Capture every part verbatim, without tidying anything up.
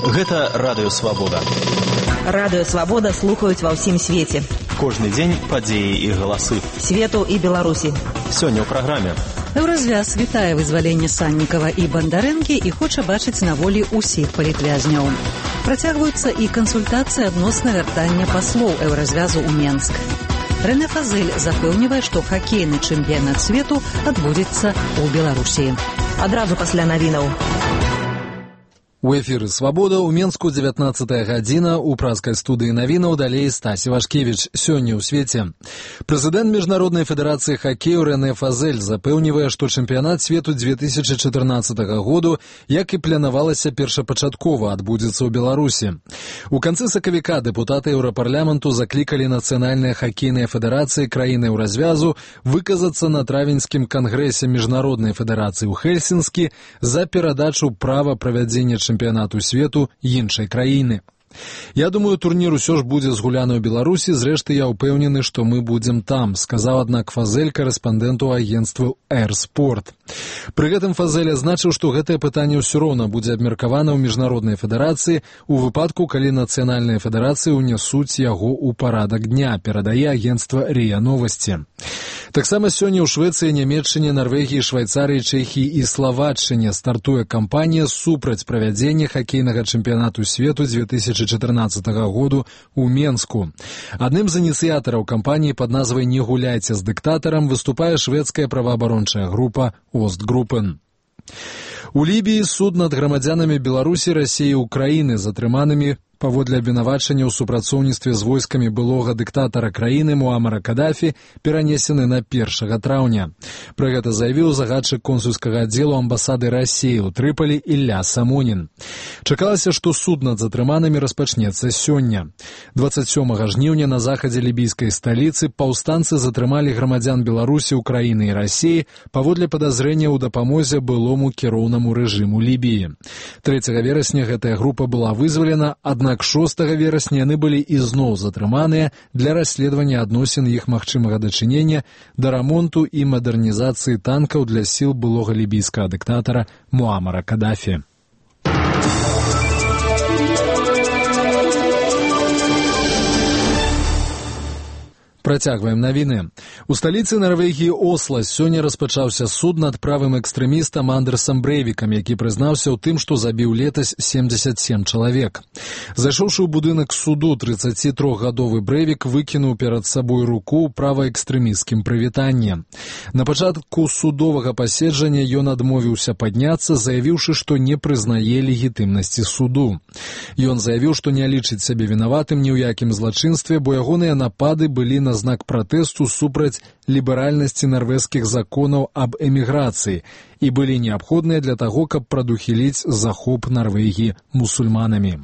Гэта Радыё Свабода. Радыё Свабода слухаюць ва ўсім свеце. Кожны дзень падзеі і галасы. Свету і Беларусі. Сёння ў праграме. Еўразвяз вітае вызваленне Саннікава і Бандарэнкі і хоча бачыць на волі ўсіх палітвязняў. Працягваюцца і кансультацыі адносна вяртання паслоў Еўразвязу ў Менск. Рэнэ Фазэль запэўнівае, што хакейны чэмпіянат свету адбудзецца ў Беларусі. Адразу пасля навінаў. У эфіры «Свабода» ў Менску дзевятнаццатая гадзіна, у празкай студыі навінаў далей Стасі Вашкевіч. Сёння ў свеце. Прэзідэнт Міжнароднай федэрацыі хакею Рэнэ Фазэль запэўнівае, што чэмпіянат свету две тысячы чатырнаццатага году, як і планавалася першапачаткова, адбудзецца ў Беларусі. У канцы сакавіка дэпутаты Еўрапарламенту заклікалі нацыянальныя хакейныя федэрацыі краін Еўразвязу выказацца на травеньскім кангрэсе Міжнароднай федэрацыі ў Хельсінскі за перадачу права правядзення чэмпіянату свету іншай краіны. Я думаю, турнір усё ж будзе згуляны ў Беларусі, зрэшты я ўпэўнены, што мы будзем там, сказаў, аднак Фазэль карэспандэнту агенцтва «Эрспорт». Пры гэтым Фазэль азначыў, што гэтае пытанне ўсё роўна будзе абмеркавана ў Міжнароднай федэрацыі у выпадку, калі нацыянальныя федэрацыі ўнясуць яго ў парадак дня, перадае агенцтва РИА Новасці. Таксама сёння ў Швецыі, Нямецчыне, Нарвегіі, Швайцарыі, Чэхіі і Славаччыне стартуе кампанія супраць правядзення хакейнага чэмпіянату свету две тысячы чатырнаццатага году ў Менску. Адным з ініцыятараў кампаніі пад назвай «Не гуляйце з дыктатарам» выступае шведская праваабарончая група «Остгруппен». У Лібіі суд над грамадзянамі Беларусі, Расіі і Украіны, затрыманымі паводле абвінавачання ў супрацоўніцтве з войскамі былога дыктатара краіны Муамара Кадафі перанесены на першага траўня. Пра гэта заявіў загадчык консульскага аддзелу амбасады Расіі ў Трыполі Ілля Самонін. Чакалася, што суд над затрыманымі распачнецца сёння. дваццаць сёмага жніўня на захадзе лібійскай сталіцы паўстанцы затрымалі грамадзян Беларусі, Украіны і Расіі паводле падазрення ў дапамозе былому кіроўнаму рэжыму Лібіі. трэцяга верасня гэтая група была вызвалена, аднак Аднак шостага верасня яны былі ізноў затрыманыя для расследавання адносін іх магчымага дачынення да рамонту і мадэрнізацыі танкаў для сіл былога лібійскага дыктатара Муамара Кадафі. Працягваем навіны. У сталіцы Нарвегіі Осла сёння распачаўся суд над правым экстрэмістам Андерсам Брэйвікам, які прызнаўся ў тым, што забіў летась семдзесят сем чалавек. Зайшоўшы ў будынак суду, трыццацітрохгадовы Брэйвік выкінуў перад сабой руку ў праваэкстрэмісцкім прывітанні. На пачатку судовага паседжання ён адмовіўся падняцца, заявіўшы, што не прызнае легітымнасці суду. Ён заявіў, што не лічыць сябе вінаватым ні ў якім злачынстве, бо ягоныя напады былі на знак пратэсту супраць ліберальнасці нарвежскіх законаў аб эміграцыі і былі неабходныя для таго, каб прадухіліць захоп Нарвегіі мусульманамі.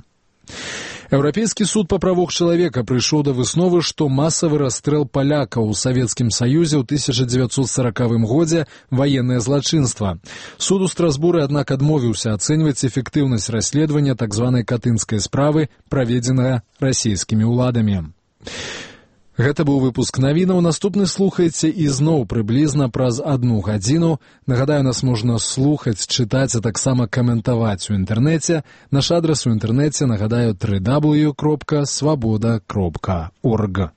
Еўрапейскі суд па правах чалавека прыйшоў да высновы, што масавы расстрэл палякаў у Савецкім Саюзе ў тысяча дзевяцьсот саракавым годзе ваеннае злачынства. Суд у Страсбуры, аднак, адмовіўся ацэньваць эфектыўнасць расследавання так званай катынскай справы, праведзенага расійскімі ўладамі. Гэта быў выпуск навінаў. Наступны слухайце ізноў прыблізна праз адну гадзіну. Нагадаю, нас можна слухаць, чытаць, а таксама каментаваць у інтэрнэце. Наш адрас у інтэрнэце, нагадаю, дабл ю дабл ю дабл ю крапка свабода крапка орг.